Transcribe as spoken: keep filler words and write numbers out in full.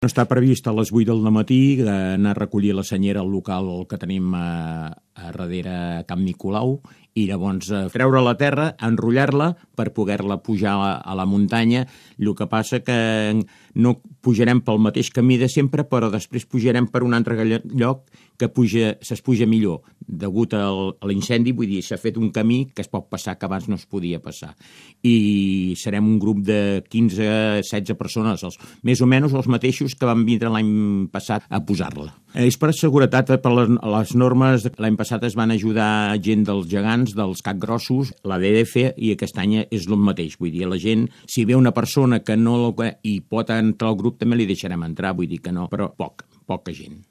No està previst a les vuit del matí anar a recollir la senyera al local que tenim a, a darrere a Camp Nicolau i llavors treure la terra, enrotllar-la per poder-la pujar a, a la muntanya. El que passa que no pujarem pel mateix camí de sempre, però després pujarem per un altre lloc que puja, se's puja millor. Degut al, a l'incendi, vull dir, s'ha fet un camí que es pot passar que abans no es podia passar. I serem un grup de quinze a setze persones, els, més o menys els mateixos que van vindre l'any passat a posar-la. És per seguretat, per les, les normes, l'any passat es van ajudar gent dels gegants, dels capgrossos, la D D F, i aquest any és el mateix. Vull dir, la gent, si ve una persona que no i pot entrar al grup, també li deixarem entrar, vull dir que no, però poc, poca gent.